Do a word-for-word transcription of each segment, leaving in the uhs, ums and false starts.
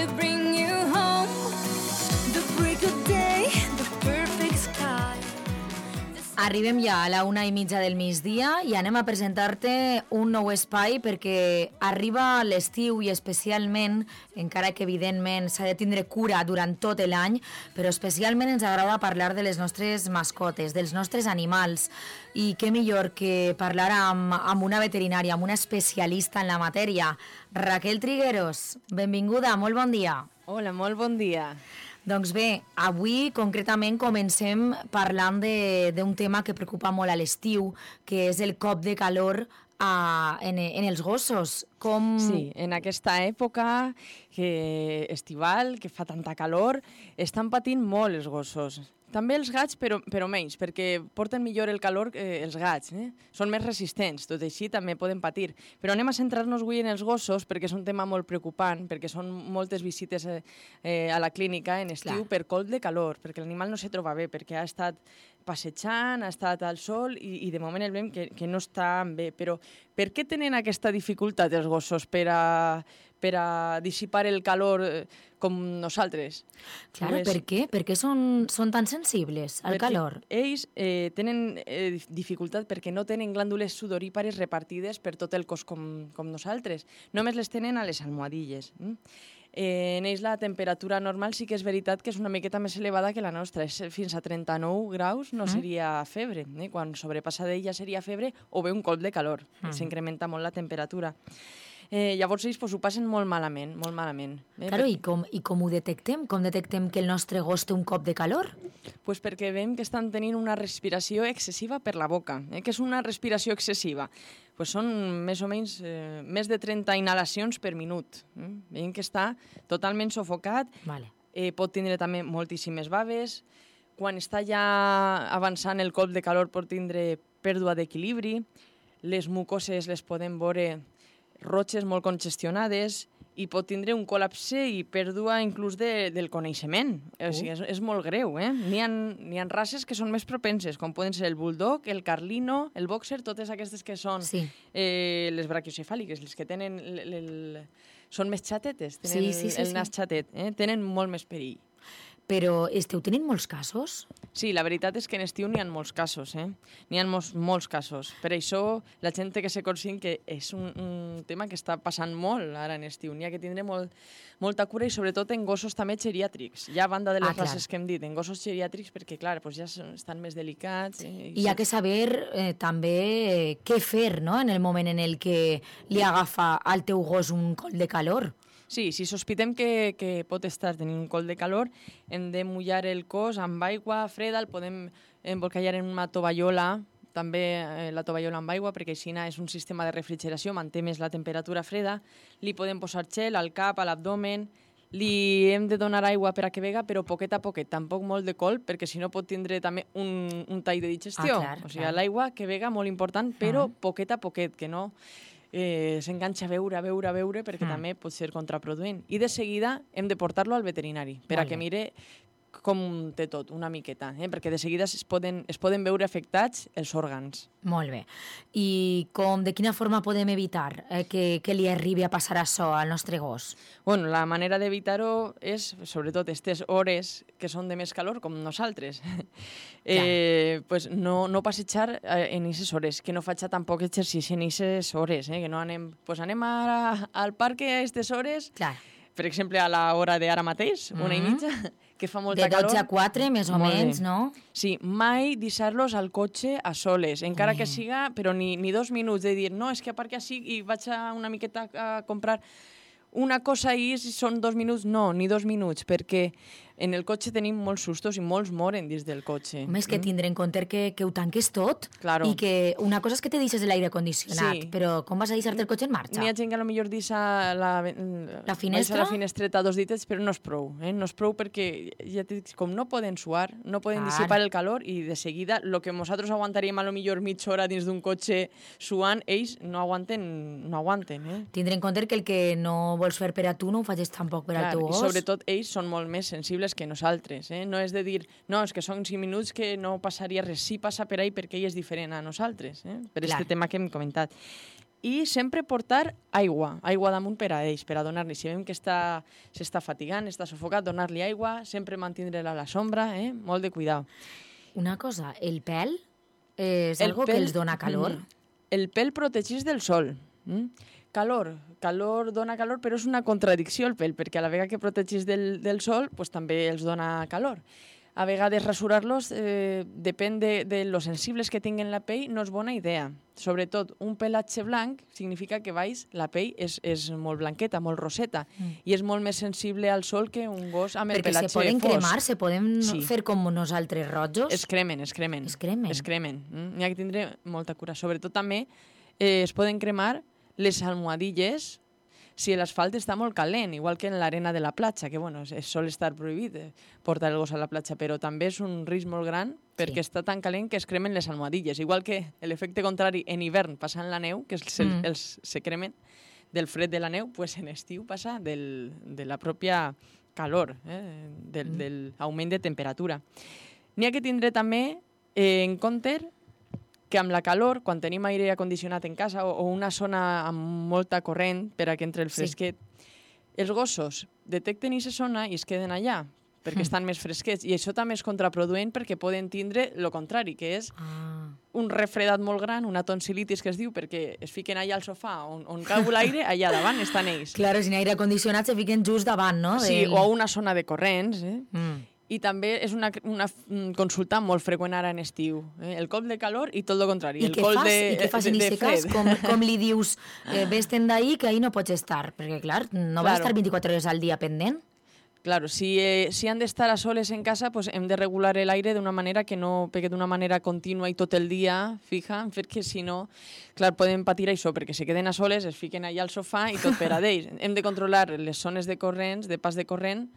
to bring you home. The break of day, the perfect sky. Arribem ja a la una i mitja del migdia i anem a presentar-te un nou espai perquè arriba l'estiu i especialment, encara que evidentment s'ha de tindre cura durant tot l'any, però especialment ens agrada parlar de les nostres mascotes, dels nostres animals. I què millor que parlar amb, amb una veterinària, amb una especialista en la matèria. Raquel Trigueros, benvinguda, molt bon dia. Hola, molt bon dia. Doncs bé, avui concretament comencem parlant d'un tema que preocupa molt a l'estiu, que és el cop de calor a, en, en els gossos. Com... Sí, en aquesta època que estival, que fa tanta calor, estan patint molt els gossos. També els gats, però, però menys, perquè porten millor el calor eh, els gats. Eh? Són més resistents, tot així també poden patir. Però anem a centrar-nos avui en els gossos, perquè és un tema molt preocupant, perquè són moltes visites eh, eh, a la clínica en estiu Clar. per colp de calor, perquè l'animal no se troba bé, perquè ha estat passejant, ha estat al sol i, i de moment el veiem que, que no està bé. Però per què tenen aquesta dificultat els gossos per a, per a dissipar el calor eh, com nosaltres? Claro, pues, per què? Per què són, són tan sensibles al calor? Ells eh, tenen eh, dificultat perquè no tenen glàndules sudorípares repartides per tot el cos com, com nosaltres. Només les tenen a les almohadilles. Mm? Eh, en ells la temperatura normal sí que és veritat que és una miqueta més elevada que la nostra. És fins a trenta-nou graus no seria febre. Eh? Quan sobrepassa d'ella seria febre o bé un colp de calor. Mm. S'incrementa molt la temperatura. Eh, llavors ells pues, ho passen molt malament, molt malament. Eh? Claro, i com, i com ho detectem? Com detectem que el nostre gos té un cop de calor? Pues perquè veiem que estan tenint una respiració excessiva per la boca. Eh? Què és una respiració excessiva? Pues són més o menys eh, més de trenta inhalacions per minut. Eh? Veiem que està totalment sufocat, vale. eh, pot tindre també moltíssimes baves. Quan està ja avançant el colp de calor pot tindre pèrdua d'equilibri, les mucoses les podem veure roges molt congestionades i pot tindre un col·lapse i pèrdua inclús de, del coneixement. Uh. O sigui, és, és molt greu. Eh? N'hi ha, n'hi ha races que són més propenses, com poden ser el bulldog, el carlino, el boxer, totes aquestes que són sí. eh, les braquiocefàliques, les que tenen... El, el, són més xatetes, tenen sí, sí, sí, el, el nas sí. xatet, eh? Tenen molt més perill. Però esteu tenint molts casos? Sí, la veritat és que en estiu n'hi ha molts casos, eh? N'hi ha molts, molts casos. Per això la gent té que ser conscient que és un, un tema que està passant molt ara en estiu. N'hi ha que tindre molt, molta cura i sobretot en gossos també geriàtrics. Ja a banda de les ah, races que hem dit, en gossos geriàtrics perquè, clar, doncs ja estan més delicats. Eh? I, I hi ha que saber eh, també eh, què fer, no?, en el moment en el que li agafa al teu gos un col de calor. Sí, si sospitem que, que pot estar tenint un col de calor, hem de mullar el cos amb aigua freda, el podem embolcallar en una tovallola, també eh, la tovallola amb aigua, perquè així és un sistema de refrigeració, manté més la temperatura freda, li podem posar gel al cap, a l'abdomen, li hem de donar aigua per a que vega, però poquet a poquet, tampoc molt de colp, perquè si no pot tindre també un, un tall de digestió. Ah, clar, o sigui, clar. L'aigua que vega molt important, però uh-huh. poquet a poquet, que no... Eh, s'enganxa a veure, a veure, a veure, perquè mm. també pot ser contraproduent. I de seguida hem de portar-lo al veterinari, per a que mire com té tot, una miqueta, eh? perquè de seguida es poden, es poden veure afectats els òrgans. Molt bé. I com, de quina forma podem evitar eh, que, que li arribi a passar això al nostre gos? Bueno, la manera d'evitar-ho és, sobretot, aquestes hores que són de més calor, com nosaltres. eh, pues no, no passejar en aquestes hores, que no faig tampoc exercici en aquestes hores, eh? que no anem, pues anem a, al parc a aquestes hores, Clar. per exemple, a l'hora d'ara mateix, una mm-hmm. i mitja, que fa molta calor. De dotze a quatre, més o menys, no? Sí, mai deixar-los al cotxe a soles, encara Ui. que siga, però ni, ni dos minuts de dir, no, és que aparca així i vaig a una miqueta a comprar una cosa i són dos minuts. No, ni dos minuts, perquè en el cotxe tenim molts sustos i molts moren dins del cotxe. Més que tindre en compte que, que ho tanques tot claro. i que una cosa és que te deixes l'aire condicionat, sí. però com vas a deixar-te el cotxe en marxa? N'hi ha gent que potser deixa la, la finestra? la finestreta a dos dites, però no és prou. Eh? No és prou perquè ja dic, com no poden suar, no poden Clar. dissipar el calor i de seguida el que nosaltres aguantaríem a lo millor mitja hora dins d'un cotxe suant, ells no aguanten. No aguanten eh? Tindre en compte que el que no vols fer per a tu no ho facis tampoc per Clar, al teu gos. I sobretot ells són molt més sensibles que nosaltres. Eh? No és de dir, no, és que són cinc minuts que no passaria res. Sí passa per ahí perquè ell és diferent a nosaltres, eh? per aquest tema que hem comentat. i sempre portar aigua, aigua damunt per a ells, per a donar-li. Si veiem que està, s'està fatigant, està sufocat, donar-li aigua, sempre mantindre-la a la sombra, eh? Molt de cuidado. Una cosa, el pèl és El algo pèl- que els dona calor? Mm. El pèl protegeix del sol. Mm? Calor, calor dona calor, però és una contradicció el pèl, perquè a la vegada que protegeix del, del sol, pues, també els dona calor. A vegades rasurar-los, eh, depèn de, de lo sensibles que tinguen la pell, no és bona idea. Sobretot, un pelatge blanc significa que baix la pell és, és molt blanqueta, molt roseta, mm. i és molt més sensible al sol que un gos amb el Perquè pelatge se poden fosc. cremar, se poden Sí. fer com nosaltres rojos? Es cremen, es cremen. Es cremen. Es cremen. Mm? N'hi ha que tindre molta cura. Sobretot també eh, es poden cremar les almohadilles si l'asfalt està molt calent, igual que en l'arena de la platja, que bueno, es sol estar prohibit eh, portar el gos a la platja, però també és un risc molt gran perquè Sí. està tan calent que es cremen les almohadilles. Igual que l'efecte contrari en hivern passant la neu, que els, Mm. els se cremen del fred de la neu, pues en estiu passa del, de la pròpia calor, eh, del, Mm. del augment de temperatura. N'hi ha que tindre també eh, en compte que amb la calor, quan tenim aire condicionat en casa o, o una zona amb molta corrent per a que entre el Sí. fresquet, els gossos detecten aquesta zona i es queden allà perquè Mm. estan més fresquets. I això també és contraproduent perquè poden tindre el contrari, que és Ah. un refredat molt gran, una tonsilitis que es diu, perquè es fiquen allà al sofà on, on cau l'aire, allà davant estan ells. Claro, sin aire condicionat se fiquen just davant, no? Sí, Del- o a una zona de corrents, eh? Mm. I també és una, una mm, consulta molt freqüent ara en estiu. Eh? El cop de calor i tot el contrari. I el què col fas? de, I què fas de, en de aquest cas? fred. Com, com li dius, eh, vés-te'n d'ahir, que ahir no pots estar? Perquè, clar, no vas Claro. estar vint-i-quatre hores al dia pendent. Claro, si, eh, si han d'estar a soles en casa, pues hem de regular l'aire d'una manera que no pegue d'una manera contínua i tot el dia, fija, perquè si no, clar, poden patir això, perquè si queden a soles, es fiquen allà al sofà i tot per a d'ells. Hem de controlar les zones de corrents, de pas de corrent,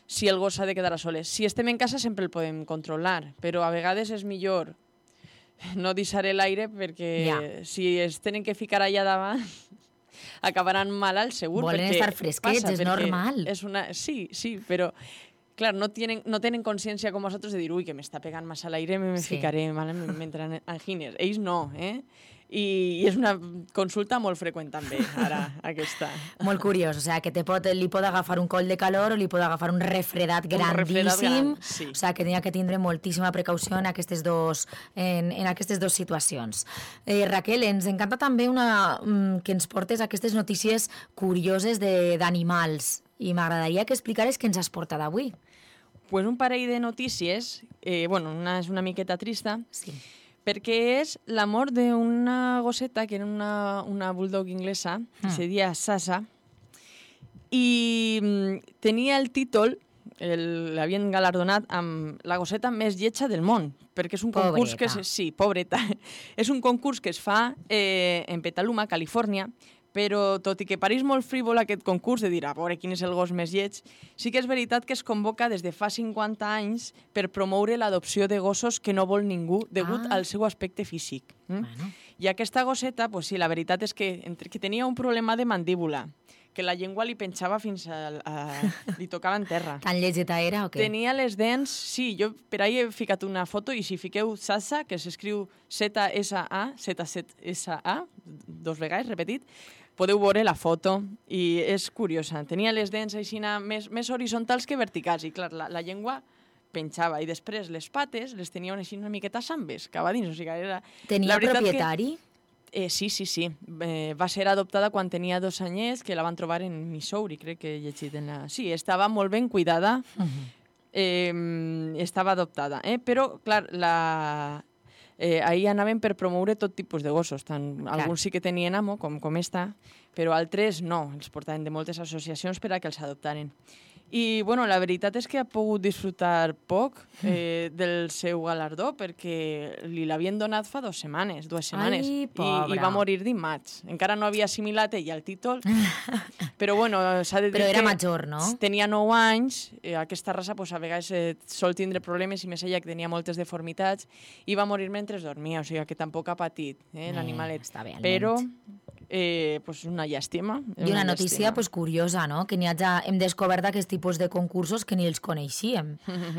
si el gos s'ha de quedar a soles. Si estem en casa sempre el podem controlar, però a vegades és millor no deixar l'aire perquè Ja. si es tenen que ficar allà davant acabaran malalts segur. Volen perquè estar fresquets, passa, és perquè normal. És una... Sí, sí, però clar, no tienen, no tenen consciència com nosaltres de dir ui, que m'està pegant massa l'aire, me, me Sí. ficaré mal, m'entran angines. Ells no, eh? I, I és una consulta molt freqüent també, ara, aquesta. Molt curiós, o sea, que te pot, li pot agafar un coll de calor o li pot agafar un refredat grandíssim, refredat gran, sí. o sea, que n'hi ha que tindre moltíssima precaució en aquestes dos, en, en aquestes dues situacions. Eh, Raquel, ens encanta també una, mm, que ens portes aquestes notícies curioses de- d'animals i m'agradaria que explicares què ens has portat avui. Pues un parell de notícies, eh, bueno, una és una miqueta trista, Sí. perquè és la mort d'una gosseta, que era una, una bulldog inglesa, que Mm. se deia Sasa, i mm, tenia el títol, el- l'havien galardonat amb la gosseta més lletja del món, perquè és un concurs que... Pobreta. Es, sí, pobreta. És un concurs que es fa eh, en Petaluma, Califòrnia, però tot i que pareix molt frívol aquest concurs de dir a veure quin és el gos més lleig, sí que és veritat que es convoca des de fa cinquanta anys per promoure l'adopció de gossos que no vol ningú degut Ah. al seu aspecte físic. Mm? Bueno. I aquesta gosseta, pues sí, la veritat és que, entre que tenia un problema de mandíbula, que la llengua li penjava fins a... a li tocava en terra. Tan lletgeta era o què? Tenia les dents... Sí, jo per ahí he ficat una foto i si fiqueu Sasa, que s'escriu Z S A, Z S A, dos vegades, repetit, podeu veure la foto i és curiosa. Tenia les dents així més, més horitzontals que verticals i, clar, la, la llengua penjava i després les pates les tenia així una miqueta sambes, cava dins. O sigui, era... Tenia la veritat propietari? Que, eh, sí, sí, sí. Eh, va ser adoptada quan tenia dos anyets, que la van trobar en Missouri, crec que he llegit en la... Sí, estava molt ben cuidada, Uh -huh. eh, estava adoptada. Eh? Però, clar, la... Eh, ahir anaven per promoure tot tipus de gossos. Tant, Clar. alguns sí que tenien amo, com, com esta, però altres no. Els portaven de moltes associacions per a que els adoptaren. I, bueno, la veritat és que ha pogut disfrutar poc eh, del seu galardó perquè li l'havien donat fa dues setmanes, dues setmanes. Ai, I, pobra. I va morir dimarts. Encara no havia assimilat ell el títol, però, bueno, s'ha de dir Però era que major, no? tenia nou anys, eh, aquesta raça pues, a vegades eh, sol tindre problemes, i més ella que tenia moltes deformitats, i va morir mentre dormia, o sigui que tampoc ha patit eh, Eh, l'animalet. està bé, almenys. Però eh, pues una llàstima. I una notícia pues, curiosa, no? Que n'hi ha, hem descobert aquests tipus de concursos que ni els coneixíem,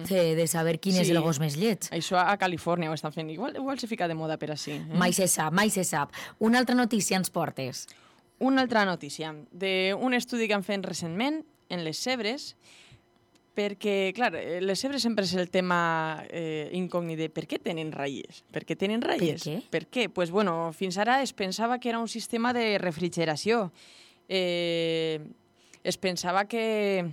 de, de saber quin sí. és el gos més lleig. Això a Califòrnia ho estan fent. Igual, igual se fica de moda per així. Eh? Mai se sap, mai se sap. Una altra notícia ens portes. Una altra notícia d'un estudi que han fet recentment en les zebres, perquè, clar, les zebres sempre és el tema eh, incògnit de per què tenen ratlles? Per què tenen ratlles? Per què? Per què? Pues, bueno, fins ara es pensava que era un sistema de refrigeració. Eh, es pensava que,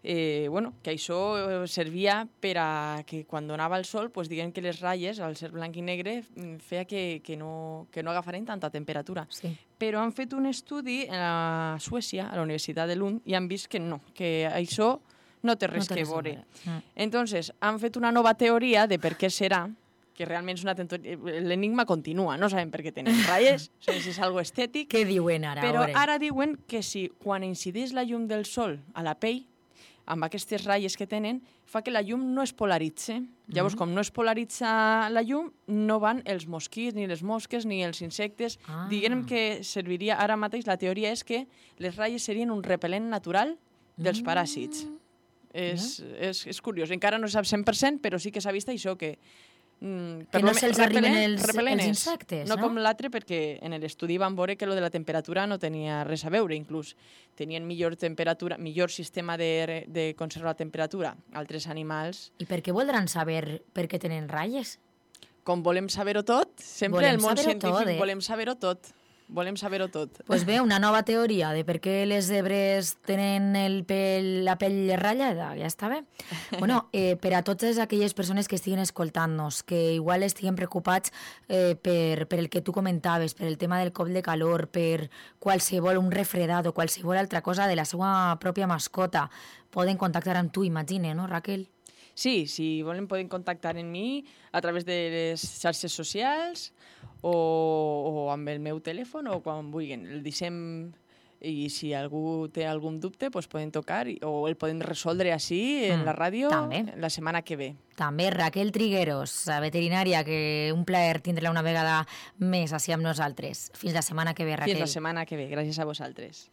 eh, bueno, que això servia per a que quan donava el sol, pues, diguem que les ratlles, al ser blanc i negre, feia que, que, no, que no agafaren tanta temperatura. Sí. Però han fet un estudi a Suècia, a la Universitat de Lund, i han vist que no, que això no té res no té que veure. Mm. Entonces, han fet una nova teoria de per què serà, que realment és una teoria... L'enigma continua, no sabem per què tenen ratlles, no sé si és algo estètic. Què diuen ara? Però ara diuen que si quan incideix la llum del sol a la pell, amb aquestes ratlles que tenen, fa que la llum no es polaritze. Mm. Llavors, com no es polaritza la llum, no van els mosquits, ni les mosques, ni els insectes. Ah. Diguem que serviria ara mateix, la teoria és que les ratlles serien un repel·lent natural dels paràsits. Mm. És, no? és, és curiós. Encara no se sap cent per cent, però sí que s'ha vist això, que... Mm, que no se'ls arriben els, els insectes, no? No com l'altre, perquè en l'estudi van veure que lo de la temperatura no tenia res a veure, inclús tenien millor temperatura, millor sistema de, de conservar la temperatura altres animals. I per què voldran saber per què tenen ratlles? Com volem saber-ho tot, sempre volem el món científic tot, eh? volem saber-ho tot. Volem saber-ho tot. Doncs pues bé, una nova teoria de per què les zebres tenen el pell, la pell ratllada, ja està bé. Bueno, eh, per a totes aquelles persones que estiguen escoltant-nos, que igual estiguen preocupats eh, per, per el que tu comentaves, per el tema del cop de calor, per qualsevol, un refredat o qualsevol altra cosa de la seva pròpia mascota, poden contactar amb tu, imagine, no, Raquel? Sí, si volen poden contactar amb mi a través de les xarxes socials o, o amb el meu telèfon o quan vulguin. El deixem i si algú té algun dubte pues poden tocar o el poden resoldre així en mm, la ràdio també. La setmana que ve. També Raquel Trigueros, veterinària, que un plaer tindre-la una vegada més així amb nosaltres. Fins la setmana que ve, Raquel. Fins la setmana que ve. Gràcies a vosaltres.